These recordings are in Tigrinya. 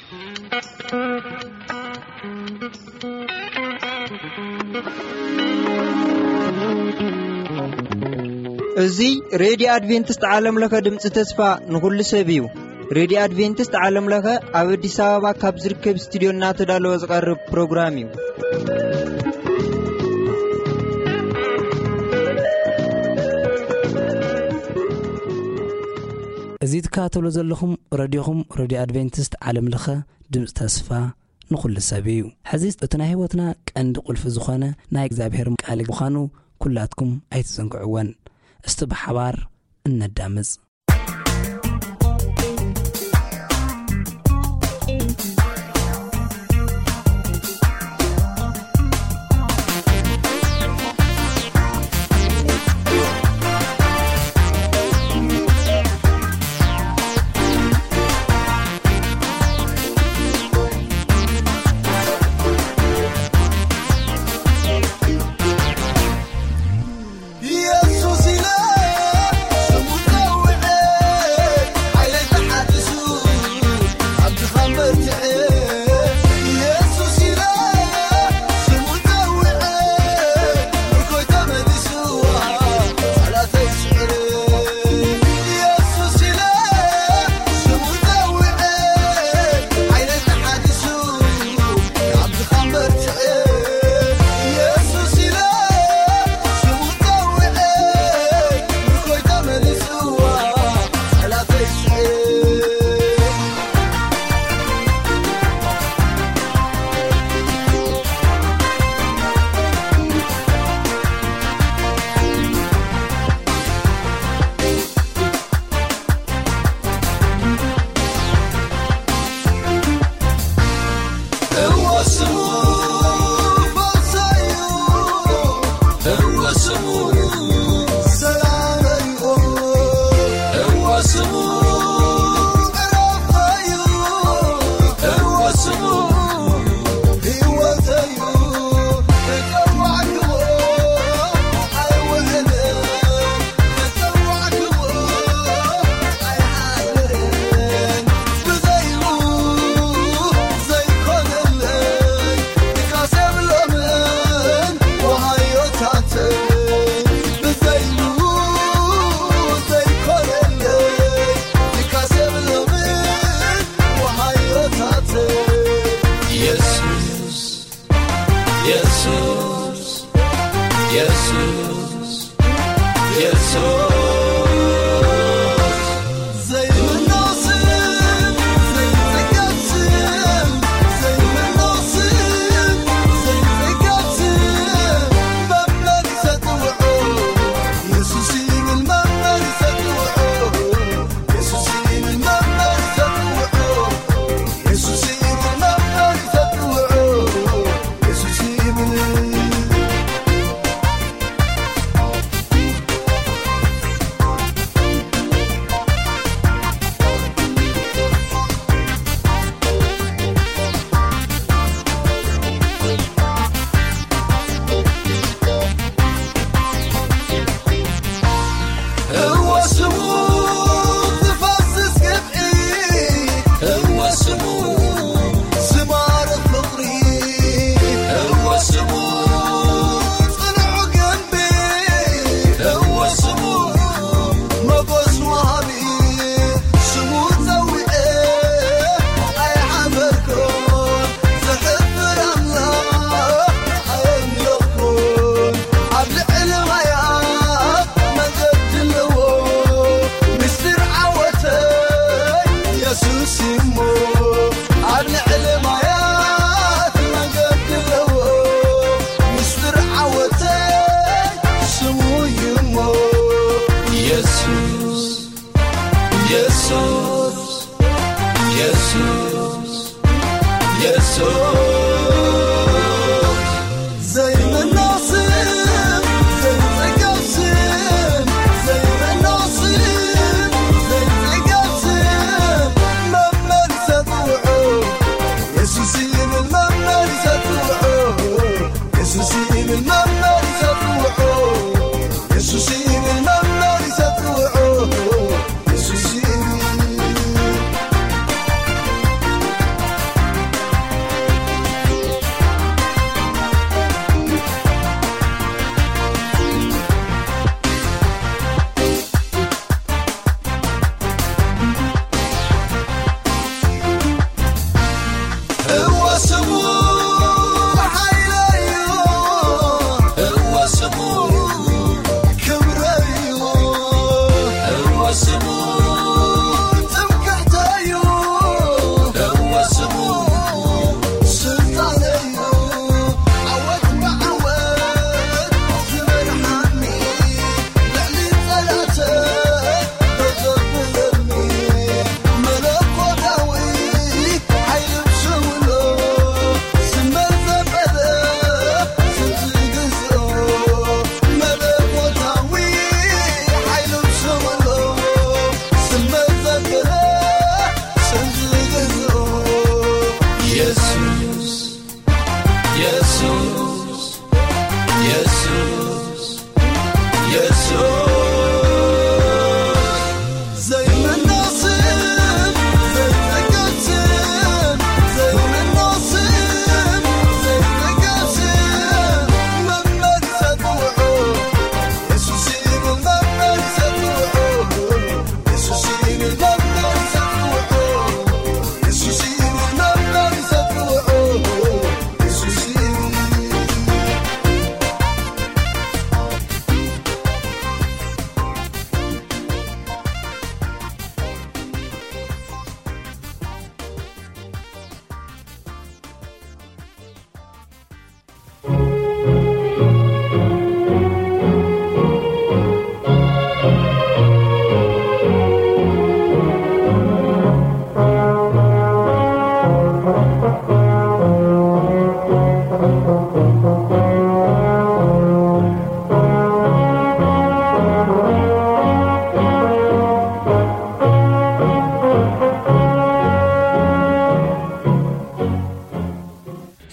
እዚ ሬድዮ ኣድቬንቲስት ዓለም ለኸ ድምፂ ተስፋ ንኹሉ ሰብ እዩ። ሬድዮ ኣድቬንቲስት ዓለም ለኸ ኣብ ኣዲስ ኣበባ ካብ ዝርከብ ስቱድዮ እናተዳለወ ዝቐርብ ፕሮግራም እዩ። እዚ ትከታተሉ ዘለኹም ረድዮኹም፣ ረድዮ ኣድቬንቲስት ዓለም ለኸ ድምፂ ተስፋ ንኹሉ ሰብ እዩ። ሕዚ እቲ ናይ ህይወትና ቀንዲ ቁልፊ ዝኾነ ናይ እግዚኣብሔር ቃል ምዃኑ ኩላትኩም ኣይትዘንግዕወን። እስቲ ብሓባር እነዳምፅ።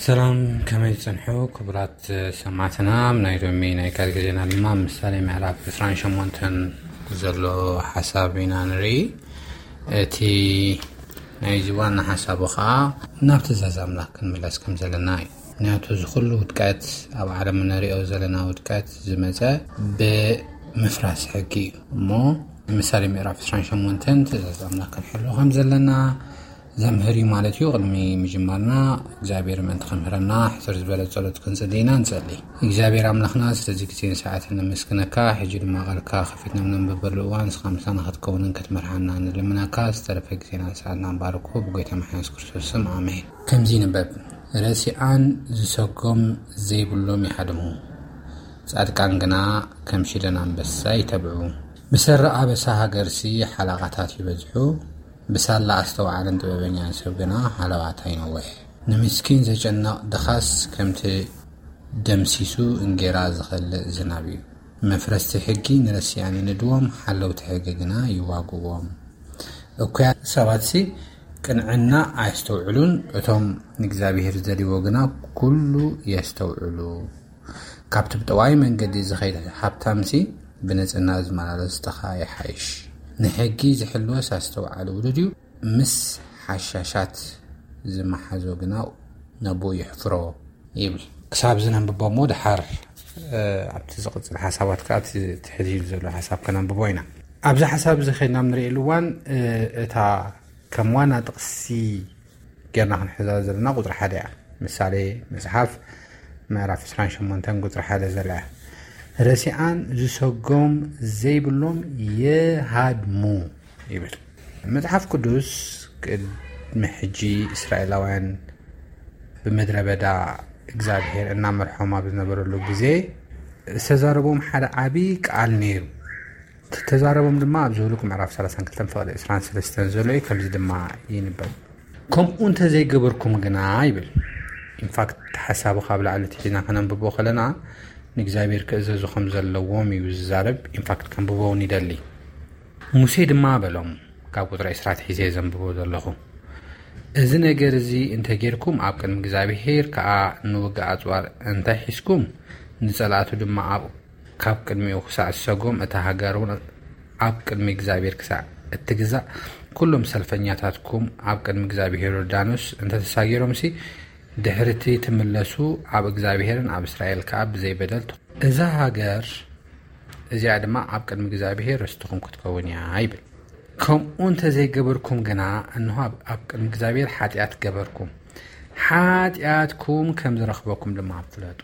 ሰላም፣ ከመይ ትጸንሑ ክቡራት ሰማዕትና? ኣብ ናይ ሎሚ ናይ ቃል ግዜና ድማ ምሳሌ ምዕራፍ ዕስራን ሸሞንተን ዘሎ ሓሳብ ኢና ንርኢ። እቲ ናይዚ ዋና ሓሳቡ ኸዓ ናብ ትእዛዝ ኣምላኽ ክንምለስ ከም ዘለና እዩ። ምክንያቱ እዚ ኩሉ ውድቀት፣ ኣብ ዓለም እንሪኦ ዘለና ውድቀት ዝመጸ ብምፍራስ ሕጊ እዩ። እሞ ምሳሌ ምዕራፍ ዕስራን ሸሞንተን ትእዛዝ ኣምላኽ ክንሕሉ ከም ዘለና ዘምህር እዩ ማለት እዩ። ቅድሚ ምጅማርና እግዚኣብሔር ምእንቲ ከምህረና ሕስር ዝበለ ጸሎት ክንጽሊ ኢና። ንጸሊ። እግዚኣብሔር ኣምላኽና ስለዚ ግዜን ሰዓትን ነመስግነካ። ሕጂ ድማ ቃልካ ከፊትና ነንብበሉ እዋን ንስኻ ምሳና ክትከውንን ክትመርሓና ንልምነካ። ዝተረፈ ግዜናን ሰዓትናን ባርኮ ብጎይታ መሓንስ ክርስቶስ ስም ኣሜን። ከምዚ ይንበብ፣ ረሲኣን ዝሰጎም ዘይብሎም ይሃድሙ፣ ጻድቃን ግና ከም ሽደን ኣንበሳ ይተብዑ። ብሰሪ ኣበሳ ሃገርሲ ሓላቓታት ይበዝሑ፣ ብሳላ ኣስተውዓልን ጥበበኛን ሰብ ግና ሃለዋታ ይነውሕ። ንምስኪን ዘጨንቕ ድኻስ ከምቲ ደምሲሱ እንጌራ ዝኸልእ ዝናብ እዩ። መፍረስቲ ሕጊ ንረሲኣን ይንድዎም፣ ሓለውቲ ሕጊ ግና ይዋግዎም። እኩያት ሰባትሲ ቅንዕና ኣየስተውዕሉን፣ እቶም ንእግዚኣብሔር ዝደልይዎ ግና ኩሉ የስተውዕሉ። ካብቲ ብጠዋይ መንገዲ ዝኸይድ ሃብታምሲ ብንጽህና ዝመላለስ ድኻ ይሓይሽ። ንሕጊ ዝሕልወስ ኣስተውዓሊ ውሉድ እዩ፣ ምስ ሓሻሻት ዝመሓዞ ግና ነቦኡ የሕፍሮ ይብል። ክሳብ ዝነንብቦ እሞ ድሓር፣ እ፣ ኣብቲ ዝቕጽል ሓሳባት ከኣ እቲ ትሕት ኢሉ ዘሎ ሓሳብ ከነንብቦ ኢና። ኣብዚ ሓሳብ እዚ ኸይድና ንርእየሉ እዋን፣ እ፣ እታ ከም ዋና ጥቕሲ ጌርና ክንሕዛ ዘለና ቁጽሪ ሓደ እያ። ምሳሌ መጽሓፍ ምዕራፍ ዕስራን ሸሞንተን ቁጽሪ ሓደ ዘላ እያ። ረሲኣን ዝሰጎም ዘይብሎም የሃድሙ ይብል። መጽሓፍ ቅዱስ ቅድሚ ሕጂ እስራኤላውያን ብምድረ በዳ እግዚኣብሔር እናመርሖም ኣብ ዝነበረሉ ግዜ ዝተዛረቦም ሓደ ዓቢ ቃል ነይሩ። ተዛረቦም ድማ ኣብ ዝህልቁ ምዕራፍ ሰላሳን ክልተን ፍቕዲ ዕስራን ሰለስተን ዘሎ እዩ። ከምዚ ድማ ይንበብ፣ ከምኡ እንተዘይገበርኩም ግና ይብል። ኢንፋክት ሓሳቡ ካብ ላዕሊ ትሒዝና ከነንብቦ ከለና ንእግዚኣብሔር ክእዘዙ ከም ዘለዎም እዩ ዝዛረብ። ኢንፋክት ከንብቦ እውን ይደሊ። ሙሴ ድማ በሎም፣ ካብ ቁጥሪ ዕስራ ትሒዘ ዘንብቦ ዘለኹ፣ እዚ ነገር እዚ እንተጌርኩም ኣብ ቅድሚ እግዚኣብሔር ከኣ ንውግእ ኣጽዋር እንታይ ሒዝኩም፣ ንጸላእቱ ድማ ኣብ ካብ ቅድሚኡ ክሳዕ ዝሰጎም እታ ሃገር እውን ኣብ ቅድሚ እግዚኣብሔር ክሳዕ እትግዛእ ኩሎም ሰልፈኛታትኩም ኣብ ቅድሚ እግዚኣብሔር ዮርዳኖስ እንተተሳጊሮምሲ ድሕርቲ ትምለሱ ኣብ እግዚኣብሔርን ኣብ እስራኤል ከኣ ብዘይበደል ትኹ-፣ እዛ ሃገር እዚኣ ድማ ኣብ ቅድሚ እግዚኣብሔር ርስትኹም ክትከውን እያ ይብል። ከምኡ እንተዘይገበርኩም ግና እንሆ ኣብ፣ ኣብ ቅድሚ እግዚኣብሔር ሓጢኣት ገበርኩም። ሓጢኣትኩም ከም ዝረኽበኩም ድማ ፍለጡ።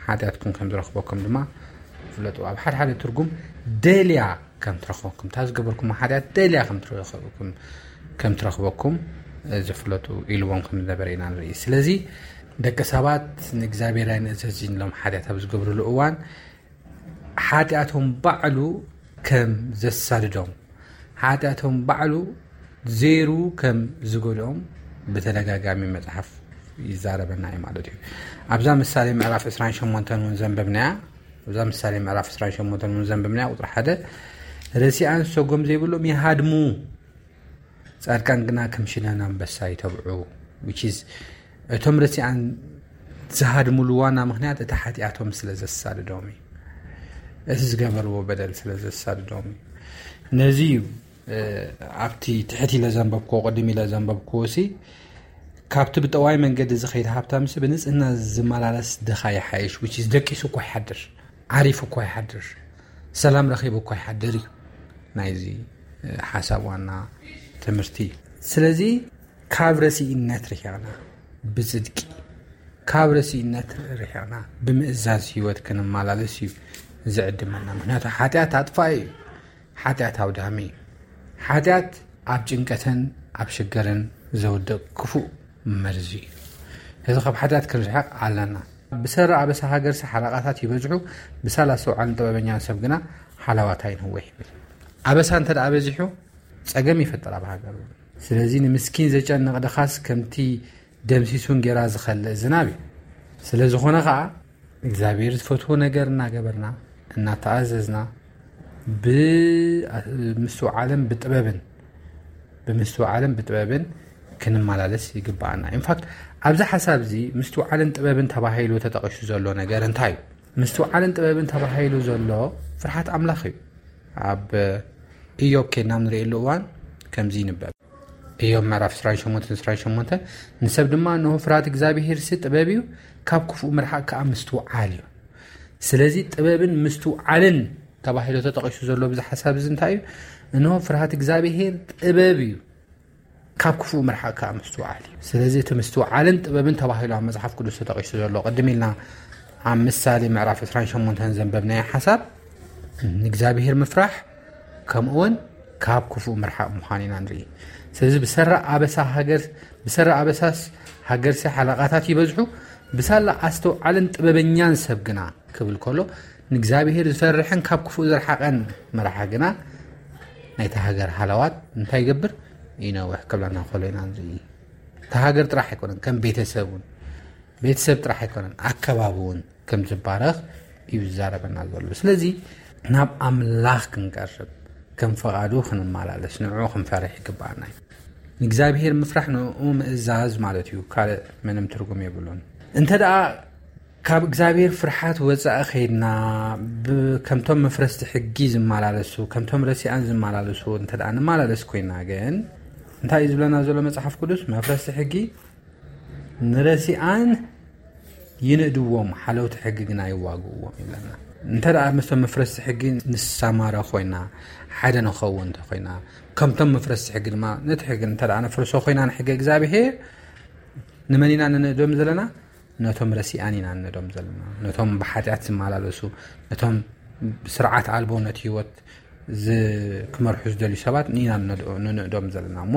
ሓጢኣትኩም ከም ዝረኽበኩም ድማ ፍለጡ። ኣብ ሓደ ሓደ ትርጉም ደልያ ከም ትረኽበኩም፣ እታ ዝገበርኩም ሓጢኣት ደልያ ከም ትረኽበኩም፣ ከም ትረኽበኩም፣ እ፣ ዝፍለጡ ኢልዎም ከም ዝነበረ ኢና ንርኢ። ስለዚ ደቂ ሰባት ንእግዚኣብሔር ኣይንእዘዝን ኢሎም ሓጢኣት ኣብ ዝገብርሉ እዋን ሓጢኣቶም ባዕሉ ከም ዘሳድዶም፣ ሓጢኣቶም ባዕሉ ዜሩ ከም ዝጎድኦም ብተደጋጋሚ መጽሓፍ ይዛረበና እዩ ማለት እዩ። ኣብዛ ምሳሌ ምዕራፍ ዕስራን ሸሞንተን እውን ዘንበብናያ፣ ኣብዛ ምሳሌ ምዕራፍ ዕስራን ሸሞንተን እውን ዘንበብናያ ቁጥሪ ሓደ፣ ረሲኣን ሰጎም ዘይብሎም ይሃድሙ፣ ጻድቃን ግና ከም ሽደን ኣንበሳ ይተብዑ። Which is፣ እቶም ረሲኣን ዝሃድሙሉ ዋና ምኽንያት እቲ ሓጢኣቶም ስለ ዘሳድዶም እዩ። እቲ ዝገበርዎ በደል ስለ ዘሳድዶም እዩ። ነዚ እዩ፣ እ፣ ኣብቲ ትሕት ኢለ ዘንበብክዎ፣ ቅድም ኢለ ዘንበብክዎ ሲ፣ ካብቲ ብጠዋይ መንገዲ ዝኸይድ ሃብታምሲ ብንጽህና ዝመላለስ ድኻ ይሓይሽ። Which is፣ ደቂሱ እኳ ይሓድር፣ ዓሪፉ እኳ ይሓድር፣ ሰላም ረኺቡ እኳ ይሓድር እዩ ናይዚ፣ እ፣ ሓሳብ ዋና ትምህርቲ። ስለዚ ካብ ረሲእነት ርሒቕና ብጽድቂ፣ ካብ ረሲእነት ርሒቕና ብምእዛዝ ህይወት ክንመላለስ እዩ ዝዕድመና። ምክንያቱ ሓጢኣት ኣጥፋኢ እዩ። ሓጢኣት ኣውዳሚ እዩ። ሓጢኣት ኣብ ጭንቀትን ኣብ ሽገርን ዘውድቕ ክፉእ መርዚ እዩ። እዚ ካብ ሓጢኣት ክንርሕቕ ኣለና። ብሰሪ ኣበሳ ሃገርሲ ሓላቓታት ይበዝሑ፣ ብሳላ ኣስተውዓልን ጥበበኛን ሰብ ግና ሓላዋታ ይነውሕ ይብል። ኣበሳ እንተ ደኣ በዚሑ ጸገም ይፈጥር ኣብ ሃገር። ስለዚ ንምስኪን ዘጨንቕ ድኻስ ከምቲ ደምሲሱ እንጌራ ዝኸልእ ዝናብ እዩ። ስለ ዝኾነ ኸኣ እግዚኣብሔር ዝፈትዎ ነገር እናገበርና፣ እናተኣዘዝና፣ ብምስትውዓልን ብጥበብን፣ ብምስትውዓልን ብጥበብን ክንመላለስ ይግባኣና። ኢንፋክት ኣብዚ ሓሳብ እዚ ምስትውዓልን ጥበብን ተባሂሉ ተጠቒሱ ዘሎ ነገር እንታይ እዩ? ምስትውዓልን ጥበብን ተባሂሉ ዘሎ ፍርሃት ኣምላኽ እዩ። ኣብ ኢዮብ ኬድና ንርእየሉ እዋን ከምዚ ይንበብ። ኢዮብ ምዕራፍ ዕስራን ሸሞንተን ዕስራን ሸሞንተን፣ ንሰብ ድማ እንሆ ፍርሃት እግዚኣብሄር ሲ ጥበብ እዩ፣ ካብ ክፉእ ምርሓቕ ከዓ ምስትውዓል እዩ። ስለዚ ጥበብን ምስትውዓልን ተባሂሉ ተጠቒሱ ዘሎ ብዚ ሓሳብ እዚ እንታይ እዩ? እንሆ ፍርሃት እግዚኣብሄር ጥበብ እዩ፣ ካብ ክፉእ ምርሓቕ ከዓ ምስትውዓል እዩ። ስለዚ እቲ ምስትውዓልን ጥበብን ተባሂሉ ኣብ መጽሓፍ ቅዱስ ተጠቒሱ ዘሎ ቅድም ኢልና ኣብ ምሳሌ ምዕራፍ ዕስራን ሸሞንተን ዘንበብናዮ ሓሳብ ንእግዚኣብሄር ምፍራሕ ከምኡውን ካብ ክፉእ ምርሓቕ ምዃን ኢና ንርኢ። ስለዚ ብሰራ ኣበሳ ሃገር ብሰራ ኣበሳስ ሃገርሲ ሓለቓታት ይበዝሑ፣ ብሳላ ኣስተውዓልን ጥበበኛን ሰብ ግና ክብል ከሎ ንእግዚኣብሄር ዝፈርሕን ካብ ክፉእ ዝረሓቐን መራሒ ግና ናይታ ሃገር ሃለዋት እንታይ ይገብር? ይነውሕ ክብለና ከሎ ኢና ንርኢ። እታ ሃገር ጥራሕ ኣይኮነን፣ ከም ቤተሰብ እውን፣ ቤተሰብ ጥራሕ ኣይኮነን፣ ኣከባቢ እውን ከም ዝባረኽ እዩ ዝዛረበና ዘሎ። ስለዚ ናብ ኣምላኽ ክንቀርብ፣ ከም ፈቓዱ ክንመላለስ፣ ንዕኡ ክንፈርሕ ይግባኣና እዩ። ንእግዚኣብሄር ምፍራሕ ንኡ ምእዛዝ ማለት እዩ። ካልእ ምንም ትርጉም የብሉን። እንተ ደኣ ካብ እግዚኣብሔር ፍርሓት ወጻኢ ኸይድና፣ ብ-፣ ከምቶም መፍረስቲ ሕጊ ዝመላለሱ፣ ከምቶም ረሲኣን ዝመላለሱ እንተ ደኣ ንመላለስ ኮይና ግን፣ እንታይ እዩ ዝብለና ዘሎ መጽሓፍ ቅዱስ? መፍረስቲ ሕጊ ንረሲኣን ይንእድዎም፣ ሓለውቲ ሕጊ ግና ይዋግእዎም ይብለና። እንተ ደኣ ምስቶም መፍረስቲ ሕጊ ንሰማረ ኮይና፣ ሓደ ንኸውን እንተ ኮይና፣ ከምቶም መፍረስቲ ሕጊ ድማ ነቲ ሕጊ እንተ ደኣ ነፍርሶ ኮይና ንሕጊ እግዚኣብሔር፣ ንመን ኢና ንንእዶም ዘለና? ነቶም ረሲኣን ኢና ንንእዶም ዘለና። ነቶም ብሓጢኣት ዝመላለሱ፣ ነቶም ስርዓት ኣልቦ ነቲ ህይወት ዝ-፣ ክመርሑ ዝደልዩ ሰባት ኢና ንንእዶ-፣ ንንእዶም ዘለና። እሞ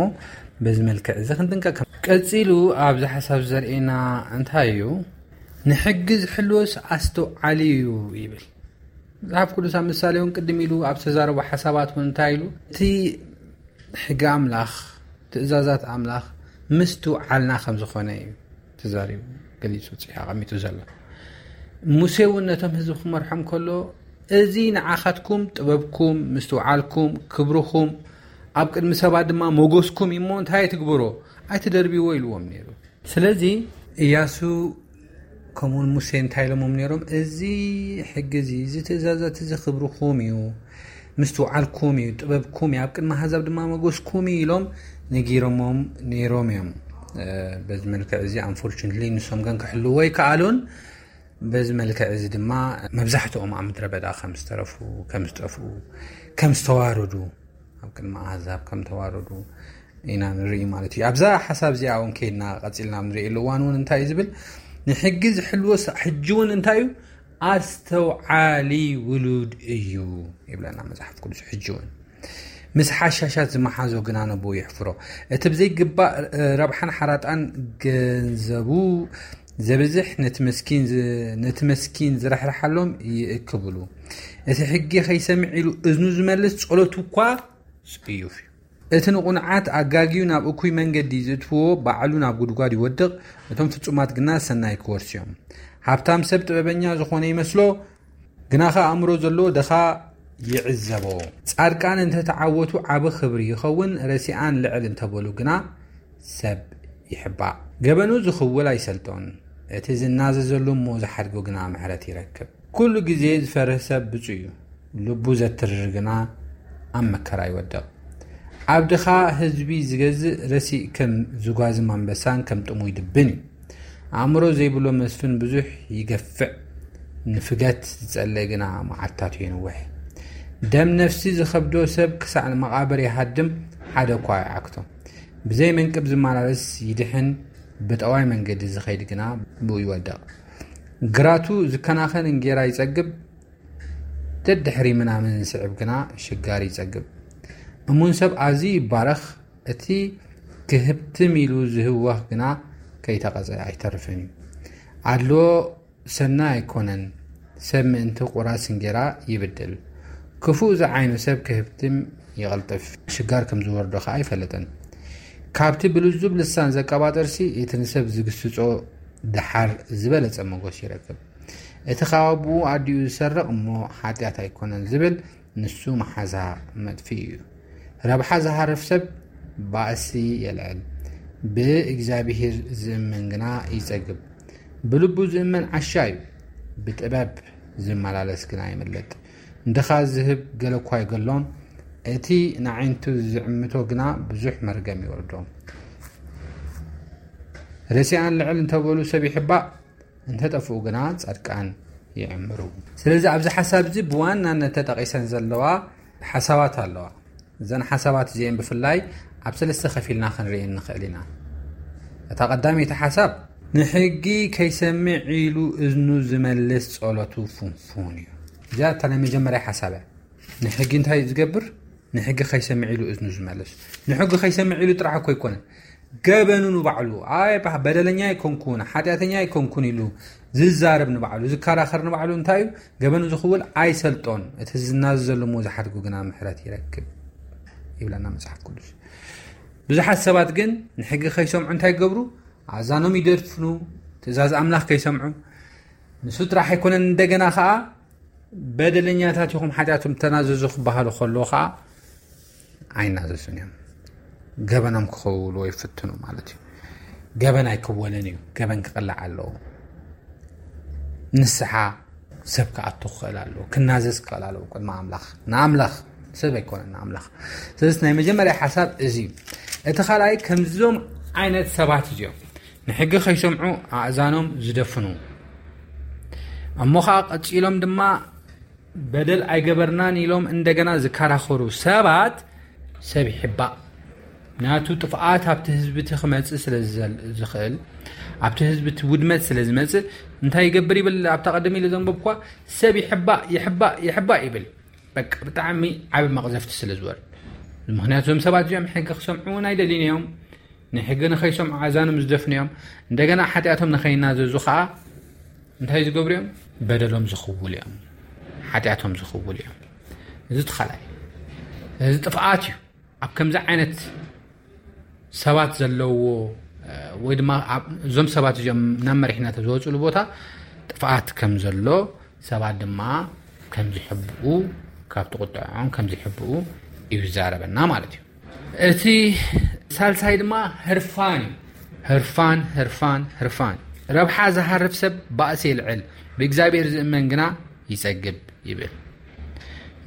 በዚ መልክዕ እዚ ክንጥንቀቅ። ቀጺሉ ኣብዚ ሓሳብ ዘርእየና እንታይ እዩ? ንሕጊ ዝሕልወስ ኣስተውዓሊ እዩ ይብል። መጽሓፍ ቅዱስ ኣብ ምሳሌ እውን ቅድም ኢሉ ኣብ ዝተዛረቦ ሓሳባት እውን እንታይ ኢሉ? እቲ ሕጊ ኣምላኽ፣ ትእዛዛት ኣምላኽ ምስትውዓልና ከም ዝኾነ እዩ ተዛሪቡ፣ ገሊጹ፣ ጽሒፉ ኣቐሚጡ ዘሎ። ሙሴ እውን ነቶም ህዝቢ ክመርሖም ከሎ፣ "እዚ ንዓኻትኩም ጥበብኩም፣ ምስትውዓልኩም፣ ክብርኹም፣ ኣብ ቅድሚ ሰባት ድማ ሞገስኩም እዩ እሞ እንታይ ኣይትግበሮ፣ ኣይትደርብይዎ" ኢልዎም ነይሩ። ስለዚ እያሱ ከምኡውን ሙሴ እንታይ ኢሎሞም ነይሮም? "እዚ ሕጊ እዚ፣ እዚ ትእዛዛት እዚ ክብርኹም እዩ፣ ምስትውዓልኩም እዩ፣ ጥበብኩም እዩ፣ ኣብ ቅድሚ ኣህዛብ ድማ መጎስኩም እዩ" ኢሎም ነጊሮሞም ነይሮም እዮም። እ፣ በዚ መልክዕ እዚ፣ ኣንፎርቹነትሊ፣ ንሶም ግን ክሕልዎ ኣይከኣሉን። በዚ መልክዕ እዚ ድማ መብዛሕትኦም ኣብ ምድረ በዳ ከም ዝተረፉ፣ ከም ዝጠፍኡ፣ ከም ዝተዋረዱ፣ ኣብ ቅድሚ ኣህዛብ ከም ተዋረዱ ኢና ንርኢ ማለት እዩ። ኣብዛ ሓሳብ እዚኣ እውን ከይድና ቀጺልና ኣብ ንርእየሉ እዋን እውን እንታይ እዩ ዝብል? "ንሕጊ ዝሕልዎ ሳ-፣ ሕጂ እውን እንታይ እዩ? ኣስተውዓሊ ውሉድ እዩ" ይብለና መጽሓፍ ቅዱስ። ሕጂ እውን ምስ ሓሻሻት ዝመሓዞ ግና ነቦኡ ይሕፍሮ። እቲ ብዘይግባእ ረብሓን ሓራጣን ገንዘቡ ዘብዝሕ ነቲ መስኪን ዝ-፣ ነቲ መስኪን ዝርሕርሓሎም ይእክብሉ። እቲ ሕጊ ከይሰምዕ ኢሉ እዝኑ ዝመልስ ጸሎቱ እኳ ጽዩፍ እዩ። እቲ ንቑንዓት ኣጋግዩ ናብ እኩይ መንገዲ ዝእትዎ ባዕሉ ናብ ጉድጓድ ይወድቕ፣ እቶም ፍጹማት ግና ሰናይ ክወርሱ እዮም። ሃብታም ሰብ ጥበበኛ ዝኾነ ይመስሎ፣ ግናኸ ኣእምሮ ዘለዎ ድኻ ይዕዘቦ። ጻድቃን እንተ ተዓወቱ ዓቢ ክብሪ ይኸውን፣ ረሲኣን ልዕል እንተበሉ ግና ሰብ ይሕባእ። ገበኑ ዝኽውል ኣይሰልጦን፣ እቲ ዝናዘዘሉ እሞ ዝሓድጎ ግና ምሕረት ይረክብ። ኩሉ ግዜ ዝፈርህ ሰብ ብጹእ እዩ፣ ልቡ ዘትርር ግና ኣብ መከራ ይወድቕ። ኣብ ድኻ ህዝቢ ዝገዝእ ረሲእ ከም ዝጓዝም ኣንበሳን ከም ጥሙይ ድብን እዩ። ኣእምሮ ዘይብሎ መስፍን ብዙሕ ይገፍዕ፣ ንፍገት ዝጸለ ግና መዓልታቱ የንውሕ። ደም ነፍሲ ዝኸብዶ ሰብ ክሳዕ መቓብር ይሃድም፣ ሓደ እኳ ኣይዓግቶ። ብዘይ መንቅብ ዝመላለስ ይድሕን፣ ብጠዋይ መንገዲ ዝኸይድ ግና ብኡ ይወድቕ። ግራቱ ዝከናኸን እንጌራ ይጸግብ፣ ደድሕሪ ምናምን ዝስዕብ ግና ሽጋር ይጸግብ። እሙን ሰብ ኣዝዩ ይባረኽ፣ እቲ ክህብትም ኢሉ ዝህወኽ ግና ከይተቐጸ ኣይተርፍን እዩ። ኣድልዎ ሰናይ ኣይኮነን፣ ሰብ ምእንቲ ቁራስ እንጌራ ይብድል። ክፉእ ዝዓይኑ ሰብ ክህብትም ይቕልጥፍ፣ ሽጋር ከም ዝወርዶ ኸኣ ኣይፈልጥን። ካብቲ ብልዙብ ልሳን ዘቀባጥርሲ፣ እቲ ንሰብ ዝግስጾ ደሓር ዝበለጸ መጎስ ይረክብ። እቲ ካብ ኣቦኡ ኣዲኡ ዝሰርቕ እሞ ሓጢኣት ኣይኮነን ዝብል፣ ንሱ መሓዛ መጥፍኢ እዩ። ረብሓ ዝሃርፍ ሰብ ባእሲ የልዕል፣ ብእግዚኣብሔር ዝእመን ግና ይጸግብ። ብልቡ ዝእመን ዓሻ እዩ፣ ብጥበብ ዝመላለስ ግና ይምለጥ። እንድኻ ዝህብ ገለ እኳ ኣይገሎን፣ እቲ ንዓይንቱ ዝዕምቶ ግና ብዙሕ መርገም ይወርዶ። ረሲኣን ልዕል እንተበሉ ሰብ ይሕባእ፣ እንተጠፍኡ ግና ጻድቃን ይዕምሩ። ስለዚ ኣብዚ ሓሳብ እዚ ብዋናነት ተጠቒሰን ዘለዋ ሓሳባት ኣለዋ። እዘን ሓሳባት እዚአን ብፍላይ ኣብ ሰለስተ ከፊልና ክንርእየን ንኽእል ኢና። እታ ቀዳመይቲ ሓሳብ፣ ንሕጊ ከይሰምዕ ኢሉ እዝኑ ዝመልስ ጸሎቱ ፍንፉን እዩ። እዚኣ እታ ናይ መጀመርያ ሓሳብ እያ። ንሕጊ እንታይ እዩ ዝገብር? ንሕጊ ከይሰምዕ ኢሉ እዝኑ ዝመልስ። ንሕጊ ከይሰምዕ ኢሉ ጥራሕ እኮ ኣይኮነን፣ ገበኑ ንባዕሉ፣ ኣይ፣ በደለኛ ኣይኮንኩን፣ ሓጢኣተኛ ኣይኮንኩን ኢሉ ዝዛረብ ንባዕሉ፣ ዝከራኸር ንባዕሉ እንታይ እዩ? ገበኑ ዝኽውል ኣይሰልጦን፣ እቲ ዝናዘዘሉ እሞ ዝሓድጉ ግና ምሕረት ይረክብ ይብለና መጽሓፍ ቅዱስ። ብዙሓት ሰባት ግን ንሕጊ ከይሰምዑ እንታይ ይገብሩ? ኣእዛኖም ይደፍኑ፣ ትእዛዝ ኣምላኽ ከይሰምዑ። ንሱ ጥራሕ ኣይኮነን፣ እንደገና ኸኣ በደለኛታት ኢኹም፣ ሓጢኣቶም ተናዘዙ ክበሃሉ ከለዉ ኸኣ ኣይናዘዙን እዮም። ገበኖም ክኸውልዎ ይፍትኑ ማለት እዩ። ገበን ኣይክወልን እዩ። ገበን ክቕላዕ ኣለዎ። ንስሓ ሰብ ክኣቱ ክኽእል ኣለዎ። ክናዘዝ ክኽእል ኣለዎ ቅድሚ ኣምላኽ። ንኣምላኽ፣ ሰብ ኣይኮነን፣ ንኣምላኽ። ስለዚ ናይ መጀመርያ ሓሳብ እዚ እዩ። እቲ ካልኣይ፣ ከምዞም ዓይነት ሰባት እዚኦም ንሕጊ ከይሰምዑ ኣእዛኖም ዝደፍኑ፣ እሞ ኸዓ ቀጺሎም ድማ በደል ኣይገበርናን ኢሎም እንደገና ዝከራኸሩ ሰባት ሰብ ይሕባእ። ናቱ ጥፍኣት ኣብቲ ህዝቢ እቲ ክመጽእ ስለ ዝዘል-፣ ዝኽእል፣ ኣብቲ ህዝቢ እቲ ውድመት ስለ ዝመጽእ እንታይ ይገብር ይብል? ኣብታ ቀደም ኢለ ዘንበብኳ፣ ሰብ ይሕባእ፣ ይሕባእ፣ ይሕባእ ይብል። በቃ ብጣዕሚ ዓቢ መቕዘፍቲ ስለ ዝወርድ። ምኽንያቱ እዞም ሰባት እዚኦም ሕጊ ክሰምዑ እውን ኣይደልዩን እዮም። ንሕጊ ንኸይሰምዑ ኣእዛኖም ዝደፍኑ እዮም። እንደገና ሓጢኣቶም ንኸይናዘዙ ኸዓ እንታይ ዝገብሩ እዮም? በደሎም ዝኽውሉ እዮም። ሓጢኣቶም ዝኽውሉ እዮም። እዚ እቲ ካልኣይ። እዚ ጥፍኣት እዩ። ኣብ ከምዚ ዓይነት ሰባት ዘለዎ፣ እ፣ ወይ ድማ ኣብ፣ እዞም ሰባት እዚኦም ናብ መሪሕነት ኣብ ዝወፅሉ ቦታ ጥፍኣት ከም ዘሎ፣ ሰባት ድማ ከም ዝሕብኡ፣ ካብቲ ቁጥዖም ከም ዝሕብኡ እዩ ዝዛረበና ማለት እዩ። እቲ ሳልሳይ ድማ ህርፋን እዩ። ህርፋን፣ ህርፋን፣ ህርፋን። ረብሓ ዝሃርፍ ሰብ ባእሲ የልዕል፣ ብእግዚኣብሔር ዝእመን ግና ይጸግብ ይብል።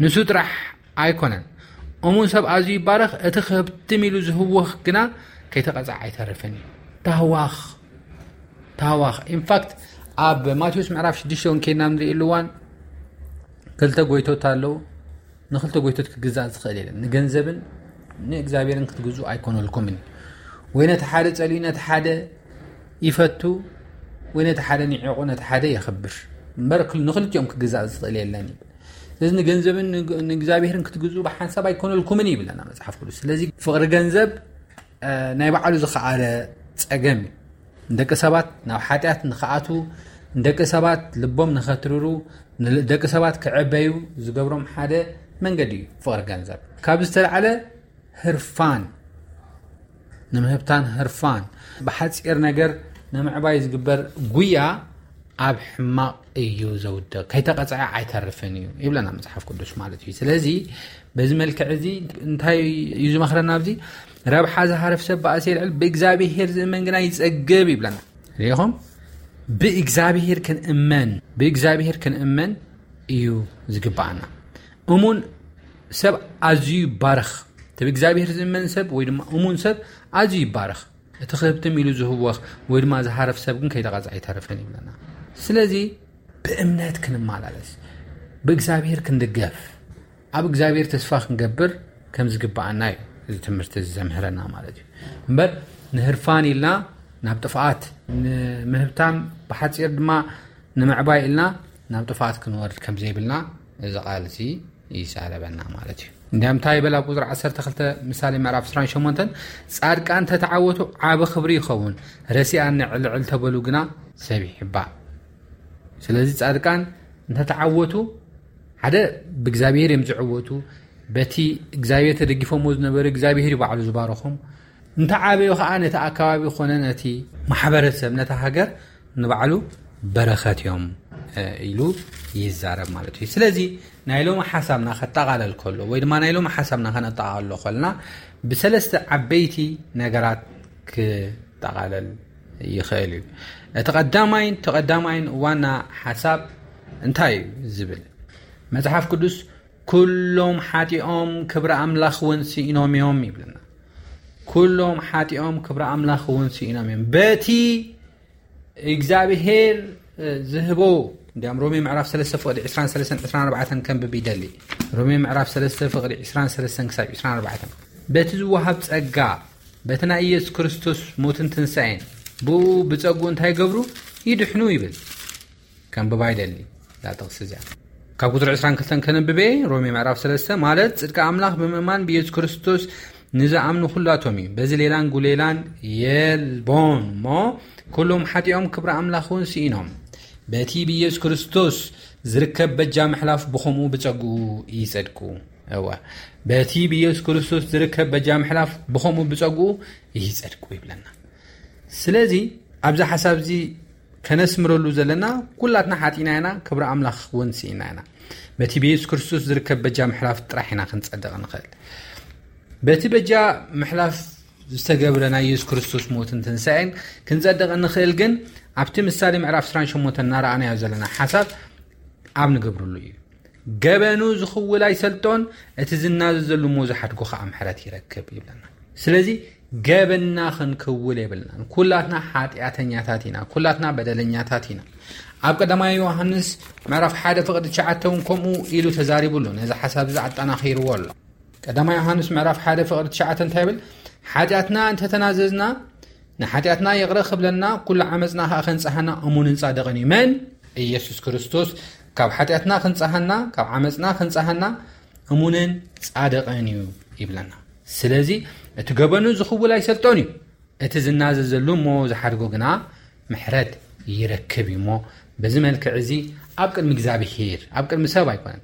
ንሱ ጥራሕ ኣይኮነን፣ እሙን ሰብ ኣዝዩ ይባረኽ፣ እቲ ክህብትም ኢሉ ዝህወኽ ግና ከይተቐጽዐ ኣይተርፍን እዩ። ታህዋኽ፣ ታህዋኽ። ኢንፋክት ኣብ ማቴዎስ ምዕራፍ ሽዱሽተ እውን ከይድና ንርእየሉ እዋን ክልተ ጎይቶት ኣለዉ። ንክልተ ጎይቶት ክግዛእ ዝኽእል የለን። ንገንዘብን ንእግዚኣብሔርን ክትግዝኡ ኣይኮነልኩምን። ወይ ነቲ ሓደ ጸልዩ ነቲ ሓደ ይፈቱ፣ ወይ ነቲ ሓደ ንዒቑ ነቲ ሓደ የኽብር። እምበር ክል-፣ ንክልቲኦም ክግዛእ ዝኽእል የለን ይብል። ስለዚ ንገንዘብን ንግ-፣ ንእግዚኣብሔርን ክትግዝኡ ብሓንሳብ ኣይኮነልኩምን ይብለና መጽሓፍ ቅዱስ። ስለዚ ፍቕሪ ገንዘብ፣ እ፣ ናይ ባዕሉ ዝኸኣለ ጸገም እዩ። ንደቂ ሰባት ናብ ሓጢኣት ንኽኣትዉ፣ ንደቂ ሰባት ልቦም ንኸትርሩ፣ ንደቂ ሰባት ክዕበዩ ዝገብሮም ሓደ መንገዲ እዩ ፍቕሪ ገንዘብ። ካብ ዝተላዕለ ህርፋን፣ ንምህብታን ህርፋን፣ ብሓጺር ነገር ንምዕባይ ዝግበር ጉያ ኣብ ሕማቕ እዩ ዘውድቕ፣ ከይተቐጽዐ ኣይተርፍን እዩ ይብለና መጽሓፍ ቅዱስ ማለት እዩ። ስለዚ በዚ መልክዕ እዚ እንታይ እዩ ዝመኽረና? ኣብዚ ረብሓ ዝሃርፍ ሰብ ባእሲ የልዕል፣ ብእግዚኣብሔር ዝእመን ግና ይጸግብ ይብለና። ርኢኹም? ብእግዚኣብሔር ክንእመን፣ ብእግዚኣብሔር ክንእመን እዩ ዝግባኣና። እሙን ሰብ ኣዝዩ ይባረኽ። እቲ ብእግዚኣብሔር ዝእመን ሰብ ወይ ድማ እሙን ሰብ ኣዝዩ ይባረኽ። እቲ ክህብትም ኢሉ ዝህወኽ ወይ ድማ ዝሃርፍ ሰብ ግን ከይተቐጽዐ ኣይተርፍን ይብለና። ስለዚ ብእምነት ክንመላለስ፣ ብእግዚኣብሔር ክንድገፍ፣ ኣብ እግዚኣብሔር ተስፋ ክንገብር ከም ዝግባኣና እዩ እዚ ትምህርቲ እዚ ዘምህረና ማለት እዩ። እምበር ንህርፋን ኢልና ናብ ጥፍኣት፣ ንምህብታም ብሓጺር ድማ ንምዕባይ ኢልና ናብ ጥፍኣት ክንወርድ ከም ዘይብልና እዚ ቃል እዚ ይዛረበና ማለት እዩ። እንዲያም እንታይ ይብል ኣብ ቁጽሪ ዓሰርተ ክልተ ምሳሌ ምዕራፍ ዕስራን ሸሞንተን፣ "ጻድቃን ተተዓወቱ ዓቢ ክብሪ ይኸውን፣ ረሲኣን ንዕልዕል ተበሉ ግና ሰብ ይሕባእ።" ስለዚ ጻድቃን እንተተዓወቱ፣ ሓደ ብእግዚኣብሔር እዮም ዝዕወቱ፣ በቲ እግዚኣብሔር ተደጊፎምዎ ዝነበሩ እግዚኣብሔር እዩ ባዕሉ ዝባረኾም። እንተዓበዩ ኸዓ ነቲ ኣከባቢ ኾነ ነቲ ማሕበረሰብ፣ ነታ ሃገር ንባዕሉ በረኸት እዮም፣ እ፣ ኢሉ ይዛረብ ማለት እዩ። ስለዚ ናይ ሎሚ ሓሳብና ከጠቓለል ከሎ ወይ ድማ ናይ ሎሚ ሓሳብና ከነጠቓልሎ ከለና ብሰለስተ ዓበይቲ ነገራት ክጠቓለል ይኽእል እዩ። እቲ ቀዳማይን ተቐዳማይን ዋና ሓሳብ እንታይ እዩ ዝብል? መጽሓፍ ቅዱስ "ኩሎም ሓጢኦም ክብሪ ኣምላኽ እውን ስኢኖም እዮም" ይብለና። "ኩሎም ሓጢኦም ክብሪ ኣምላኽ እውን ስኢኖም እዮም" በቲ እግዚኣብሔር ዝህቦ። እንዲያም ሮሜ ምዕራፍ ሰለስተ ፍቕዲ ዕስራን ሰለስተን ዕስራን ኣርባዕተን ከንብብ ይደሊ። ሮሜ ምዕራፍ ሰለስተ ፍቕዲ ዕስራን ሰለስተን ክሳብ ዕስራን ኣርባዕተን፣ በቲ ዝወሃብ ጸጋ፣ በቲ ናይ ኢየሱስ ክርስቶስ ሞትን ትንሳኤን፣ ብኡ ብጸጉ እንታይ ገብሩ? ይድሕኑ ይብል። ከንብባ ይደሊ እዛ ጥቕሲ እዚኣ። ካብ ቁጽሪ ዕስራን ክልተን ከነንብበ። ሮሜ ምዕራፍ ሰለስተ ማለት ጽድቂ ኣምላኽ ብምእማን ብኢየሱስ ክርስቶስ ንዝኣምኑ ኩላቶም እዩ። በዚ ሌላን ጉሌላን የልቦን እሞ፣ ኩሎም ሓጢኦም ክብሪ ኣምላኽ እውን ስኢኖም፣ በቲ ብኢየሱስ ክርስቶስ ዝርከብ በጃ ምሕላፍ ብኸምኡ ብጸግኡ ይጸድቁ። እወ፣ በቲ ብኢየሱስ ክርስቶስ ዝርከብ በጃ ምሕላፍ ብኸምኡ ብጸግኡ ይጸድቁ ይብለና። ስለዚ ኣብዚ ሓሳብ እዚ ከነስምረሉ ዘለና፣ ኩላትና ሓጢና ኢና፣ ክብሪ ኣምላኽ እውን ስኢና ኢና። በቲ ብኢየሱስ ክርስቶስ ዝርከብ በጃ ምሕላፍ ጥራሕ ኢና ክንጸድቕ ንኽእል። በቲ በጃ ምሕላፍ ዝተገብረ ናይ ኢየሱስ ክርስቶስ ሞትን ትንሳኤን ክንጸድቕ እንኽእል ግን፣ ኣብቲ ምሳሌ ምዕራፍ ዕስራን ሸሞንተን እናረኣናዮ ዘለና ሓሳብ ኣብ ንገብርሉ እዩ። "ገበኑ ዝኽውል ኣይሰልጦን፣ እቲ ዝናዘዘሉ እሞ ዝሓድጎ ኸዓ ምሕረት ይረክብ" ይብለና። ስለዚ ገበንና ክንክውል የብልናን። ኩላትና ሓጢኣተኛታት ኢና፣ ኩላትና በደለኛታት ኢና። ኣብ ቀዳማይ ዮሃንስ ምዕራፍ ሓደ ፍቕዲ ትሽዓተ እውን ከምኡ ኢሉ ተዛሪቡ ኣሎ። ነዚ ሓሳብ እዚ ኣጠናኺርዎ ኣሎ። ቀዳማይ ዮሃንስ ምዕራፍ ሓደ ፍቕዲ ትሽዓተ እንታይ ይብል? "ሓጢኣትና እንተተናዘዝና፣ ንሓጢኣትና ይቕረ ክብለና፣ ኩሉ ዓመፅና ኸዓ ከንጽሃና እሙንን ጻድቕን እዩ። መን? ኢየሱስ ክርስቶስ። ካብ ሓጢኣትና ክንጽሃና፣ ካብ ዓመፅና ክንጽሃና እሙንን ጻድቕን እዩ" ይብለና። ስለዚ እቲ ገበኑ ዝኽውል ኣይሰልጦን እዩ። እቲ ዝናዘዘሉ እሞ ዝሓድጎ ግና ምሕረት ይረክብ እዩ። እሞ በዚ መልክዕ እዚ ኣብ ቅድሚ እግዚኣብሄር፣ ኣብ ቅድሚ ሰብ ኣይኮነን፣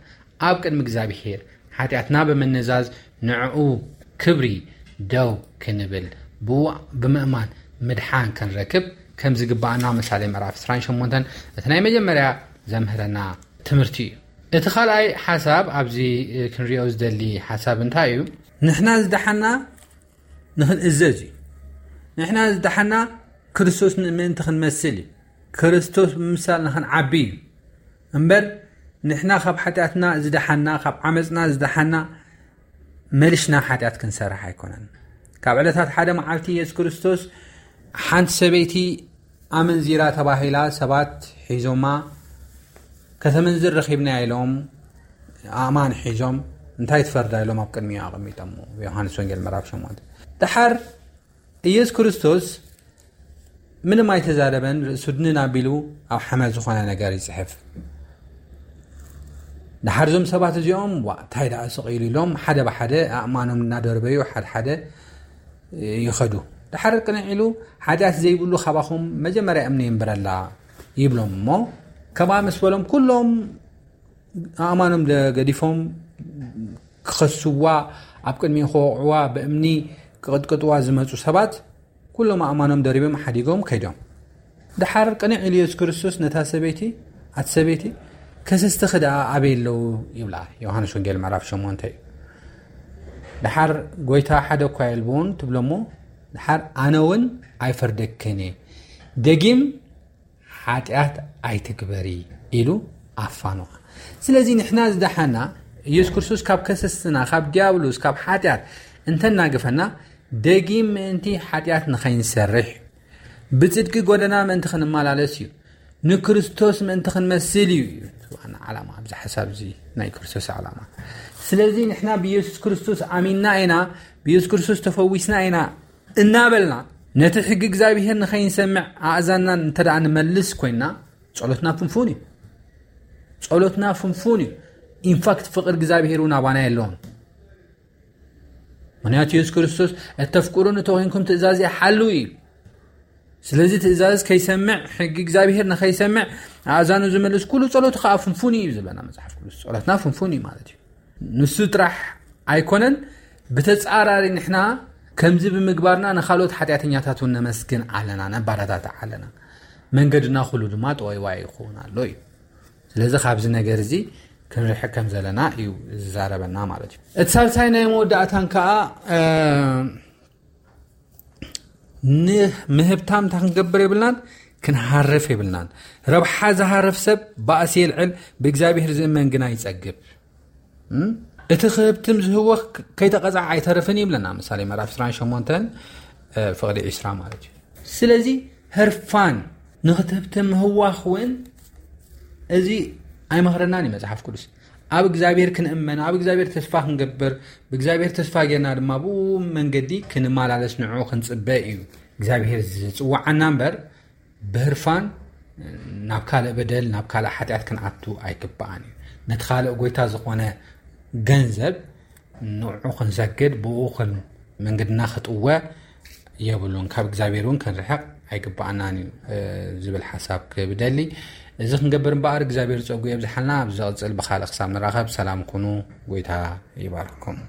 ኣብ ቅድሚ እግዚኣብሄር ሓጢኣትና ብምንዛዝ ንዕኡ ክብሪ ደው ክንብል፣ ብኡ ብምእማን ምድሓን ክንረክብ ከም ዝግባኣና ምሳሌ ምዕራፍ ዕስራን ሸሞንተን እቲ ናይ መጀመርያ ዘምህረና ትምህርቲ እዩ። እቲ ካልኣይ ሓሳብ ኣብዚ ክንሪኦ ዝደሊ ሓሳብ እንታይ እዩ? ንሕና ዝደሓና ንኽንእዘዝ እዩ። ንሕና ዝደሓና ክርስቶስ ምእንቲ ክንመስል እዩ። ክርስቶስ ብምምሳል ንኽንዓቢ እዩ። እምበር ንሕና ካብ ሓጢኣትና ዝደሓና፣ ካብ ዓመፅና ዝደሓና መሊሽና ሓጢኣት ክንሰርሕ ኣይኮነን። ካብ ዕለታት ሓደ መዓልቲ ኢየሱስ ክርስቶስ ሓንቲ ሰበይቲ ኣመንዚራ ተባሂላ ሰባት ሒዞማ፣ "ከተመንዝር ረኺብናያ" ኢሎም ኣእማን ሒዞም እንታይ ትፈርዳ ኢሎም ኣብ ቅድሚኡ ኣቐሚጦሞ። ዮሃንስ ወንጌል ምዕራፍ ሸሞንተ። ደሓር ኢየሱስ ክርስቶስ ምንም ኣይተዛረበን፣ ርእሱ ድንን ኣቢሉ ኣብ ሓመድ ዝኾነ ነገር ይጽሕፍ። ደሓር እዞም ሰባት እዚኦም፣ "ዋ፣ እንታይ ደኣ ስቕ ኢሉ?" ኢሎም ሓደ ብሓደ ኣእማኖም እናደርበዩ ሓደ ሓደ ይኸዱ። ደሓር ቅንዕ ኢሉ፣ "ሓጢኣት ዘይብሉ ካባኹም መጀመርያ እምኒ የንብረላ" ይብሎም። እሞ ከምኣ ምስ በሎም፣ ኩሎም ኣእማኖም ደ-፣ ገዲፎም ክኸስዋ፣ ኣብ ቅድሚኡ ክወቕዕዋ፣ ብእምኒ ክቕጥቅጥዋ ዝመጹ ሰባት ኩሎም ኣእማኖም ደሪቦም ሓዲጎም ከይዶም። ደሓር ቅንዕ ኢሉ ኢየሱስ ክርስቶስ ነታ ሰበይቲ፣ "ኣቲ ሰበይቲ፣ ከሰስትኺ ደኣ ኣበይ ኣለዉ?" ይብላ። ዮሃንስ ወንጌል ምዕራፍ ሸሞንተ እዩ። ደሓር ጎይታ፣ "ሓደ እኳ የልብውን" ትብሎ እሞ፣ ደሓር "ኣነ እውን ኣይፈርደክን እየ፣ ደጊም ሓጢኣት ኣይትግበሪ" ኢሉ ኣፋንዋ። ስለዚ ንሕና ዝደሓና፣ ኢየሱስ ክርስቶስ ካብ ከሰስና፣ ካብ ዲያብሎስ፣ ካብ ሓጢኣት እንተናገፈና፣ ደጊም ምእንቲ ሓጢኣት ንኸይንሰርሕ፣ ብጽድቂ ጎደና ምእንቲ ክንመላለስ እዩ። ንክርስቶስ ምእንቲ ክንመስል እዩ። ዋና ዓላማ ኣብዚ ሓሳብ እዚ ናይ ክርስቶስ ዓላማ። ስለዚ ንሕና ብኢየሱስ ክርስቶስ ኣሚንና ኢና፣ ብኢየሱስ ክርስቶስ ተፈዊስና ኢና እናበልና፣ ነቲ ሕጊ እግዚኣብሔር ንኸይንሰምዕ ኣእዛንና እንተ ደኣ ንመልስ ኮይንና፣ ጸሎትና ፍንፉን እዩ። ጸሎትና ፍንፉን እዩ። ኢንፋክት ፍቕሪ እግዚኣብሔር እውን ኣባና የለውን። ምኽንያቱ የሱስ ክርስቶስ፣ "እተፍቅሩኒ ተኾይንኩም ትእዛዘይ ሓልዉ" እዩ። ስለዚ ትእዛዝ ከይሰምዕ፣ ሕጊ እግዚኣብሔር ንኸይሰምዕ ኣእዛኑ ዝመልስ ኩሉ ጸሎቱ ከኣ ፍንፉን እዩ ዝብለና መጽሓፍ ቅዱስ። ጸሎትና ፍንፉን እዩ ማለት እዩ። ንሱ ጥራሕ ኣይኮነን፣ ብተጻራሪ ንሕና ከምዚ ብምግባርና ንኻልኦት ሓጢኣተኛታት እውን ነመስግን ኣለና፣ ነባረታትዕ ኣለና። መንገድና ኩሉ ድማ ጠወይዋይ ይኸውን ኣሎ እዩ። ስለዚ ካብዚ ነገር እዚ ክንርሕቅ ከም ዘለና እዩ ዝዛረበና ማለት እዩ። እቲ ሳልሳይ ናይ መወዳእታን ከኣ፣ እ፣ ንምህብታም እንታይ ክንገብር የብልናን? ክንሃርፍ የብልናን። ረብሓ ዝሃርፍ ሰብ ባእሲ የልዕል፣ ብእግዚኣብሔር ዝእመን ግና ይጸግብ። እቲ ክህብትም ዝህወኽ ከይተቐጻዕ ኣይተርፍን ይብለና ምሳሌ ምዕራፍ ዕስራን ሸሞንተን ፍቕዲ ዕስራ ማለት እዩ። ስለዚ ህርፋን ንክትህብትም ምህዋኽ እውን እዚ ኣይመኽረናን እዩ መጽሓፍ ቅዱስ። ኣብ እግዚኣብሔር ክንእመን፣ ኣብ እግዚኣብሔር ተስፋ ክንገብር፣ ብእግዚኣብሔር ተስፋ ጌርና ድማ ብኡ መንገዲ ክንመላለስ ንዕኡ ክንጽበ እዩ እግዚኣብሔር ዝጽውዓና እምበር ብህርፋን ናብ ካልእ በደል ናብ ካልእ ሓጢኣት ክንኣቱ ኣይግባኣን እዩ። ነቲ ካልእ ጎይታ ዝኾነ ገንዘብ ንዑ ክንሰግድ ብኡ መንገድና ክጥወ የብሉን። ካብ እግዚኣብሔር እውን ክንርሕቕ ኣይግባኣናን እዩ ዝብል ሓሳብ ክብደሊ። እዚ ክንገብር እምበኣር እግዚኣብሔር ጸጉ የብዝሓልና። ኣብ ዝቕጽል ብኻልእ ክሳብ ንራኸብ ሰላም ኩኑ። ጎይታ ይባርኩም።